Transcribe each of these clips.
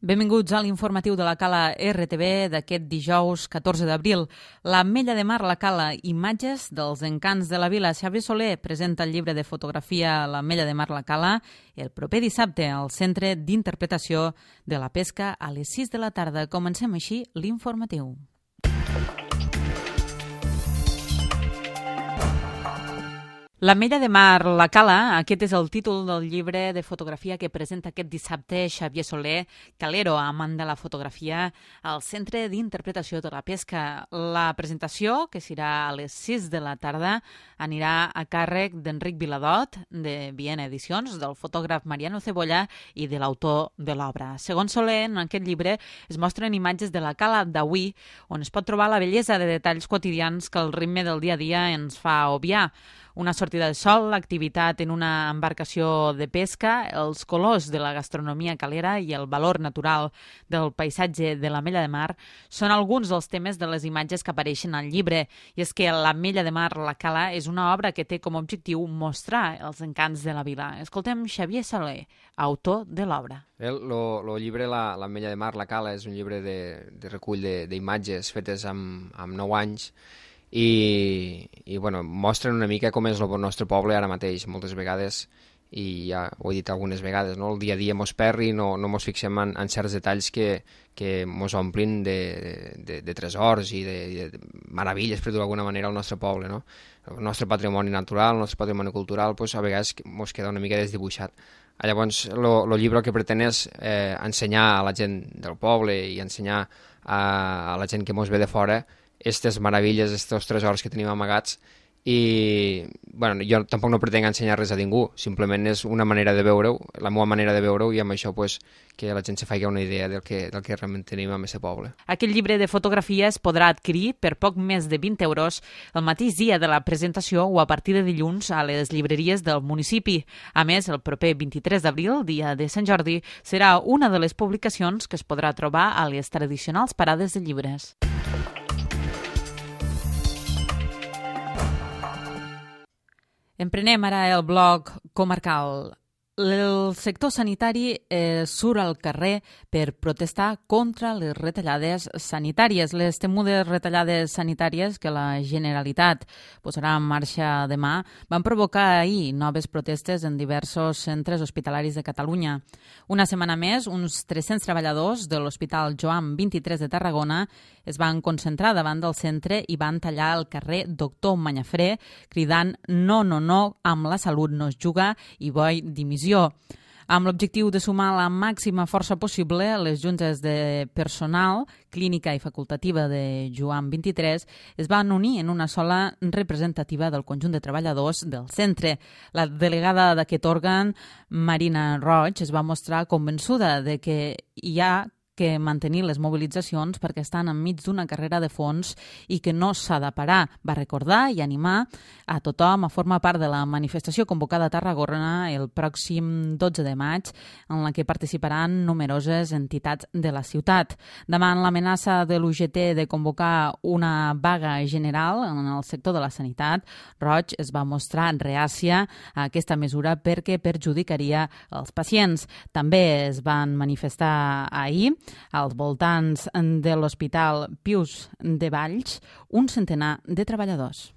Benvinguts a l'informatiu de la Cala RTV d'aquest dijous 14 d'abril. L'Ametlla de Mar, la Cala, imatges dels encants de la vila. Xavier Soler presenta el llibre de fotografia L'Ametlla de Mar, la Cala el proper dissabte al Centre d'Interpretació de la Pesca a les 6 de la tarda. Comencem així l'informatiu. L'Ametlla de Mar, la Cala, aquest és el títol del llibre de fotografia que presenta aquest dissabte Xavier Soler, calero, amant de la fotografia, al Centre d'Interpretació de la Pesca. La presentació, que serà a les 6 de la tarda, anirà a càrrec d'Enric Viladot, de Viena Edicions, del fotògraf Mariano Cebolla i de l'autor de l'obra. Segons Soler, en aquest llibre es mostren imatges de la Cala d'avui, on es pot trobar la bellesa de detalls quotidians que el ritme del dia a dia ens fa obviar. Una sortida de sol, l'activitat en una embarcació de pesca, els colors de la gastronomia calera i el valor natural del paisatge de l'Ametlla de Mar són alguns dels temes de les imatges que apareixen al llibre. I és que l'Ametlla de Mar, la Cala, és una obra que té com a objectiu mostrar els encants de la vila. Escoltem Xavier Soler, autor de l'obra. El llibre L'Ametlla de Mar, la Cala, és un llibre de recull d'imatges fetes amb 9 anys i bueno, mostren una mica com és el nostre poble ara mateix. Moltes vegades, i ja ho he dit algunes vegades, no? El dia a dia mos perri, no mos fixem en certs detalls que mos omplin de tresors i de meravilles, per dir d'alguna manera, al nostre poble, no? El nostre patrimoni natural, el nostre patrimoni cultural, pues, a vegades mos queda una mica desdibuixat. Llavors, el llibre el que pretén és ensenyar a la gent del poble i ensenyar a la gent que mos ve de fora aquestes meravilles, aquests tresors que tenim amagats. I bueno, jo tampoc no pretenc ensenyar res a ningú, simplement és una manera de veure-ho, la meva manera de veure-ho, i amb això pues, que la gent se faci una idea del que realment tenim amb aquest poble. Aquest llibre de fotografia es podrà adquirir per poc més de 20 euros el mateix dia de la presentació o a partir de dilluns a les llibreries del municipi. A més, el proper 23 d'abril, dia de Sant Jordi, serà una de les publicacions que es podrà trobar a les tradicionals parades de llibres. Emprenem ara el bloc comarcal. El sector sanitari surt al carrer per protestar contra les retallades sanitàries. Les temudes retallades sanitàries que la Generalitat posarà en marxa demà van provocar ahir noves protestes en diversos centres hospitalaris de Catalunya. Una setmana més, uns 300 treballadors de l'Hospital Joan 23 de Tarragona es van concentrar davant del centre i van tallar el carrer Doctor Manyafré cridant no, amb la salut no es juga i vull dimissió. Amb l'objectiu de sumar la màxima força possible, les juntes de personal, clínica i facultativa de Joan 23 es van unir en una sola representativa del conjunt de treballadors del centre. La delegada d'aquest òrgan, Marina Roig, es va mostrar convençuda de que hi ha que mantenir les mobilitzacions perquè estan enmig d'una carrera de fons i que no s'ha de parar. Va recordar i animar a tothom a formar part de la manifestació convocada a Tarragona el pròxim 12 de maig, en la que participaran numeroses entitats de la ciutat. Davant l'amenaça de l'UGT de convocar una vaga general en el sector de la sanitat, Roig es va mostrar reàcia a aquesta mesura perquè perjudicaria els pacients. També es van manifestar ahir als voltants de l'Hospital Pius de Valls un centenar de treballadors.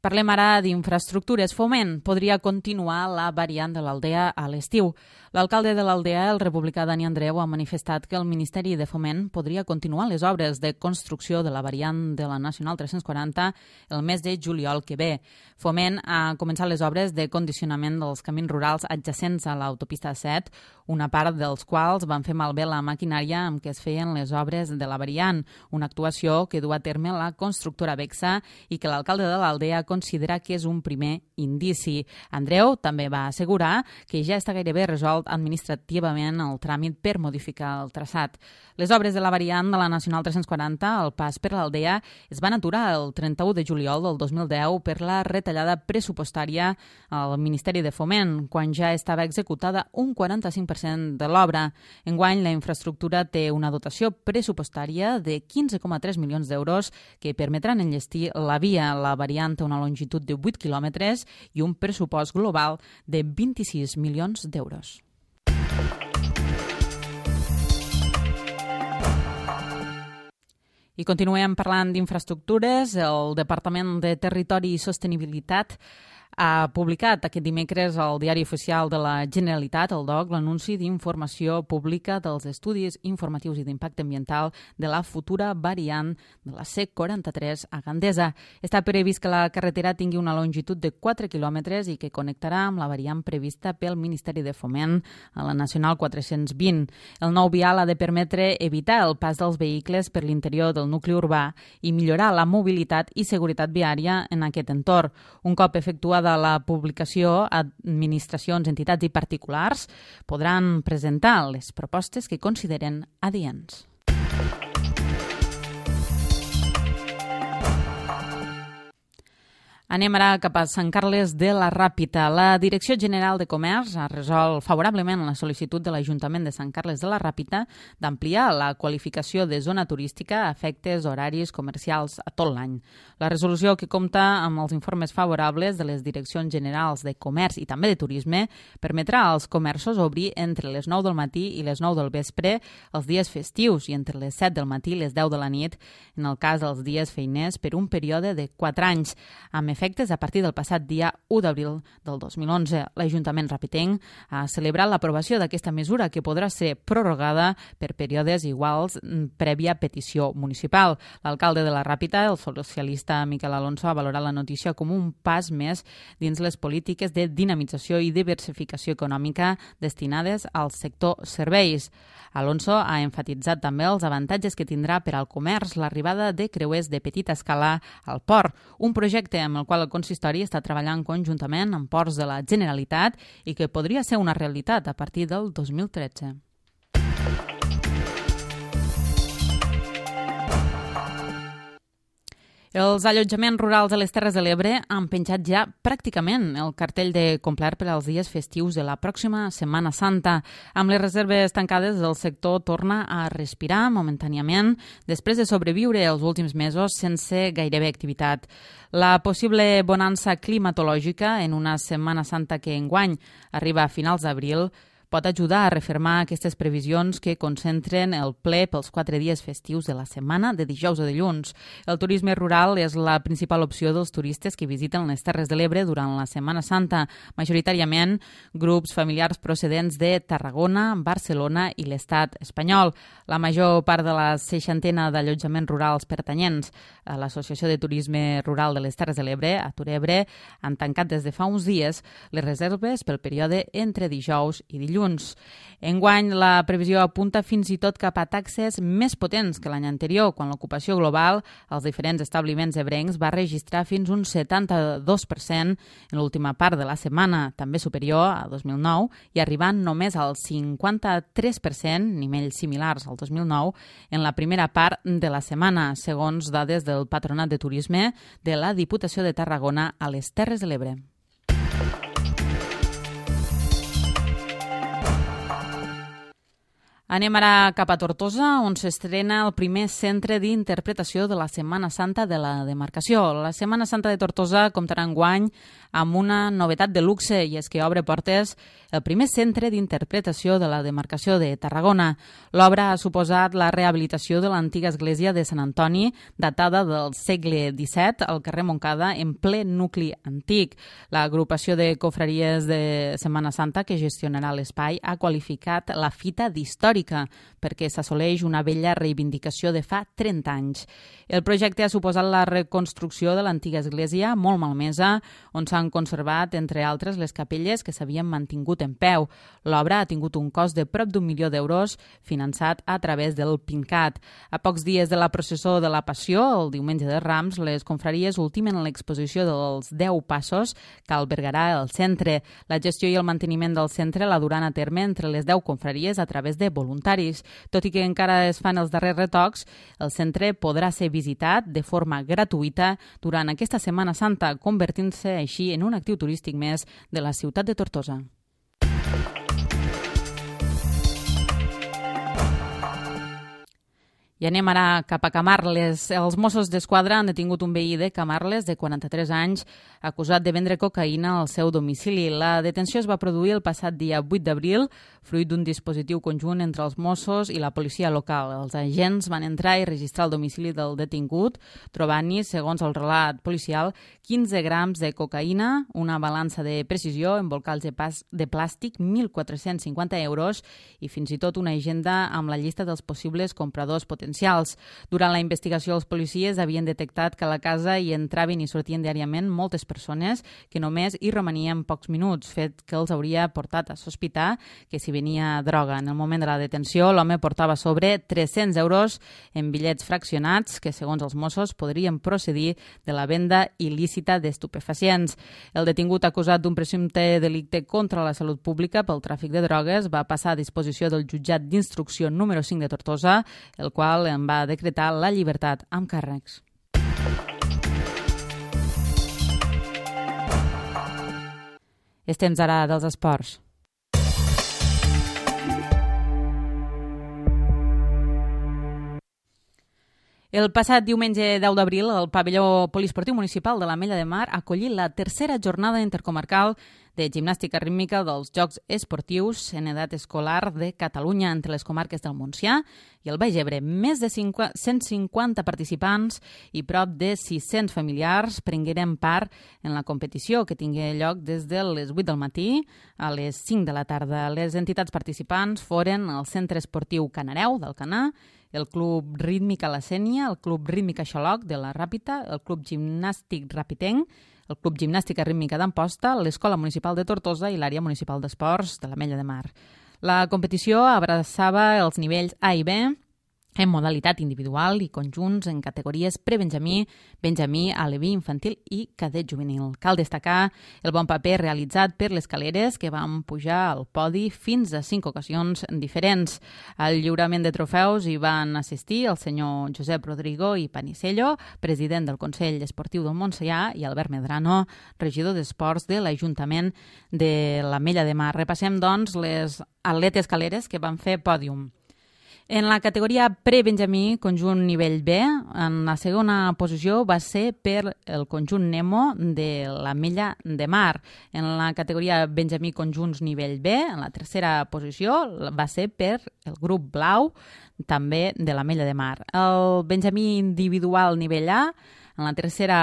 Parlem ara d'infraestructures. Foment podria continuar la variant de l'Aldea a l'estiu. L'alcalde de l'Aldea, el republicà Dani Andreu, ha manifestat que el Ministeri de Foment podria continuar les obres de construcció de la variant de la Nacional 340 el mes de juliol que ve. Foment ha començat les obres de condicionament dels camins rurals adjacents a l'autopista 7, una part dels quals van fer malbé la maquinària amb què es feien les obres de la variant, una actuació que du a terme la constructora Bexa i que l'alcalde de l'Aldea considera que és un primer indici. Andreu també va assegurar que ja està gairebé resolt administrativament el tràmit per modificar el traçat. Les obres de la variant de la Nacional 340, el pas per l'Aldea, es van aturar el 31 de juliol del 2010 per la retallada pressupostària al Ministeri de Foment, quan ja estava executada un 45% de l'obra. Enguany, la infraestructura té una dotació pressupostària de 15,3 milions d'euros que permetran enllestir la via. La variant té una una longitud de 8 quilòmetres i un pressupost global de 26 milions d'euros. I continuem parlant d'infraestructures. El Departament de Territori i Sostenibilitat ha publicat aquest dimecres al Diari Oficial de la Generalitat, el DOC, l'anunci d'informació pública dels estudis informatius i d'impacte ambiental de la futura variant de la C43 a Gandesa. Està previst que la carretera tingui una longitud de 4 quilòmetres i que connectarà amb la variant prevista pel Ministeri de Foment a la Nacional 420. El nou vial ha de permetre evitar el pas dels vehicles per l'interior del nucli urbà i millorar la mobilitat i seguretat viària en aquest entorn. Un cop efectuada la publicació, administracions, entitats i particulars podran presentar les propostes que consideren adients. Anem ara cap a Sant Carles de la Ràpita. La Direcció General de Comerç ha resolt favorablement la sol·licitud de l'Ajuntament de Sant Carles de la Ràpita d'ampliar la qualificació de zona turística a efectes horaris comercials a tot l'any. La resolució, que compta amb els informes favorables de les Direccions Generals de Comerç i també de Turisme, permetrà als comerços obrir entre les 9 del matí i les 9 del vespre els dies festius i entre les 7 del matí i les 10 de la nit, en el cas dels dies feiners, per un període de 4 anys, amb efectes a partir del passat dia 1 d'abril del 2011. L'Ajuntament rapitenc ha celebrat l'aprovació d'aquesta mesura, que podrà ser prorrogada per períodes iguals prèvia petició municipal. L'alcalde de la Ràpita, el socialista Miquel Alonso, ha valorat la notícia com un pas més dins les polítiques de dinamització i diversificació econòmica destinades al sector serveis. Alonso ha enfatitzat també els avantatges que tindrà per al comerç l'arribada de creuers de petita escala al port, un projecte amb el qual el consistori està treballant conjuntament amb ports de la Generalitat i que podria ser una realitat a partir del 2013. Els allotjaments rurals de les Terres de l'Ebre han penjat ja pràcticament el cartell de complet per als dies festius de la pròxima Setmana Santa. Amb les reserves tancades, el sector torna a respirar momentàniament després de sobreviure els últims mesos sense gairebé activitat. La possible bonança climatològica en una Setmana Santa que enguany arriba a finals d'abril pot ajudar a refermar aquestes previsions que concentren el ple pels 4 dies festius de la setmana, de dijous a dilluns. El turisme rural és la principal opció dels turistes que visiten les Terres de l'Ebre durant la Setmana Santa, majoritàriament grups familiars procedents de Tarragona, Barcelona i l'Estat espanyol. La major part de la 60ena d'allotjaments rurals pertanyents a l'Associació de Turisme Rural de les Terres de l'Ebre, a Turebre, han tancat des de fa uns dies les reserves pel període entre dijous i dilluns. Enguany, la previsió apunta fins i tot cap a taxes més potents que l'any anterior, quan l'ocupació global als diferents establiments ebrencs va registrar fins un 72% en l'última part de la setmana, també superior a 2009, i arribant només al 53%, nivells similars al 2009, en la primera part de la setmana, segons dades del Patronat de Turisme de la Diputació de Tarragona a les Terres de l'Ebre. Anem ara cap a Tortosa, on s'estrena el primer centre d'interpretació de la Setmana Santa de la demarcació. La Setmana Santa de Tortosa comptarà enguany amb una novetat de luxe, i és que obre portes el primer centre d'interpretació de la demarcació de Tarragona. L'obra ha suposat la rehabilitació de l'antiga església de Sant Antoni, datada del segle XVII, al carrer Montcada, en ple nucli antic. L'agrupació de confraries de Setmana Santa que gestionarà l'espai ha qualificat la fita d'històrica perquè s'assoleix una vella reivindicació de fa 30 anys. El projecte ha suposat la reconstrucció de l'antiga església, molt malmesa, on s'han conservat, entre altres, les capelles que s'havien mantingut en peu. L'obra ha tingut un cost de prop d'1 milió d'euros, finançat a través del PINCAT. A pocs dies de la processó de la Passió, el diumenge de Rams, les confraries ultimen l'exposició dels 10 passos que albergarà el centre. La gestió i el manteniment del centre la duran a terme entre les 10 confraries a través de voluntaris. Tot i que encara es fan els darrers retocs, el centre podrà ser visitat de forma gratuïta durant aquesta Setmana Santa, convertint-se així en un actiu turístic més de la ciutat de Tortosa. I anem ara cap a Camarles. Els Mossos d'Esquadra han detingut un veí de Camarles de 43 anys acusat de vendre cocaïna al seu domicili. La detenció es va produir el passat dia 8 d'abril, fruit d'un dispositiu conjunt entre els Mossos i la policia local. Els agents van entrar i registrar el domicili del detingut, trobant-hi, segons el relat policial, 15 grams de cocaïna, una balança de precisió, embolcalls de plàstic, 1.450 euros i fins i tot una agenda amb la llista dels possibles compradors potencials. Durant la investigació, els policies havien detectat que a la casa hi entraven i sortien diàriament moltes persones que només hi romanien pocs minuts, fet que els hauria portat a sospitar que s'hi venia droga. En el moment de la detenció, l'home portava sobre 300 euros en bitllets fraccionats que, segons els Mossos, podrien procedir de la venda il·lícita d'estupefacients. El detingut acusat d'un presumpte delicte contra la salut pública pel tràfic de drogues va passar a disposició del jutjat d'instrucció número 5 de Tortosa, el qual en va decretar la llibertat amb càrrecs. És temps ara dels esports. El passat diumenge 10 d'abril, el pavelló poliesportiu municipal de l'Ametlla de Mar acollí la tercera jornada intercomarcal de gimnàstica rítmica dels Jocs Esportius en edat escolar de Catalunya entre les comarques del Montsià i el Baix Ebre. Més de 150 participants i prop de 600 familiars prengueren part en la competició que tingué lloc des de les 8 del matí a les 5 de la tarda. Les entitats participants foren el Centre Esportiu Canareu d'Alcanar, el Club Rítmica La Sénia, el Club Rítmica Xaloc de la Ràpita, el Club Gimnàstic Rapitenc, el Club Gimnàstica Rítmica d'Amposta, l'Escola Municipal de Tortosa i l'Àrea Municipal d'Esports de l'Ametlla de Mar. La competició abraçava els nivells A i B en modalitat individual i conjunts en categories prebenjamí, benjamí, aleví, infantil i cadet juvenil. Cal destacar el bon paper realitzat per les caleres que van pujar al podi fins a 5 ocasions diferents. Al lliurament de trofeus hi van assistir el senyor Josep Rodrigo i Panicello, president del Consell Esportiu del Montsià, i Albert Medrano, regidor d'Esports de l'Ajuntament de l'Ametlla de Mar. Repassem, doncs, les atletes caleres que van fer pòdium. En la categoria prebenjamí, conjunt nivell B, en la segona posició va ser per el conjunt Nemo de l'Ametlla de Mar. En la categoria benjamí conjunts nivell B, en la tercera posició va ser per el grup Blau, també de l'Ametlla de Mar. El benjamí individual nivell A, en la tercera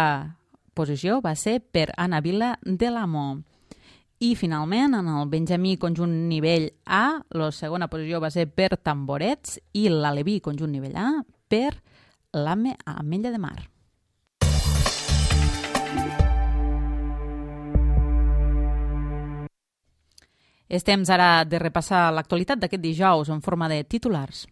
posició va ser per Anna Vila de l'Amo. I, finalment, en el benjamí conjunt nivell A, la segona posició va ser per Tamborets i l'aleví conjunt nivell A per l'Ametlla de Mar. És temps ara de repassar l'actualitat d'aquest dijous en forma de titulars.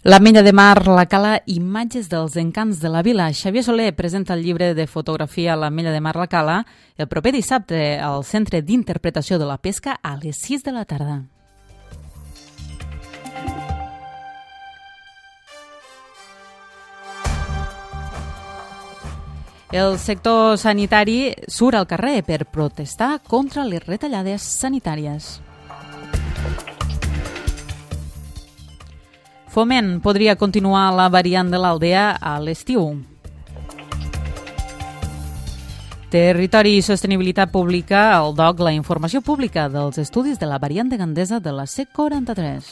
L'Ametlla de Mar, la Cala, imatges dels encants de la vila. Xavier Soler presenta el llibre de fotografia L'Ametlla de Mar, la Cala el proper dissabte al Centre d'Interpretació de la Pesca a les 6 de la tarda. El sector sanitari surt al carrer per protestar contra les retallades sanitàries. Foment podria continuar la variant de l'Aldea a l'estiu. Territori i Sostenibilitat Pública, el DOC, la informació pública dels estudis de la variant de Gandesa de la C43.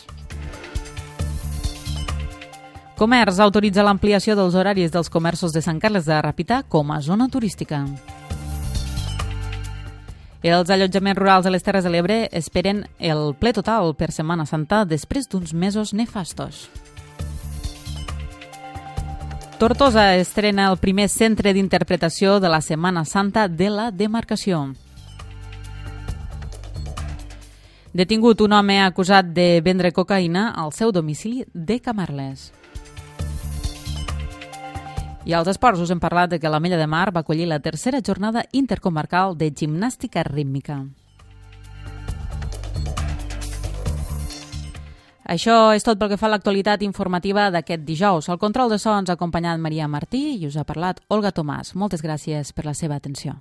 Comerç autoritza l'ampliació dels horaris dels comerços de Sant Carles de Ràpita com a zona turística. Els allotjaments rurals de les Terres de l'Ebre esperen el ple total per Setmana Santa després d'uns mesos nefastos. Tortosa estrena el primer centre d'interpretació de la Setmana Santa de la demarcació. Detingut un home acusat de vendre cocaïna al seu domicili de Camarles. I als esports us hem parlat de que l'Ametlla de Mar va acollir la tercera jornada intercomarcal de gimnàstica rítmica. Això és tot pel que fa a l'actualitat informativa d'aquest dijous. Al control de so ens ha acompanyat Maria Martí i us ha parlat Olga Tomàs. Moltes gràcies per la seva atenció.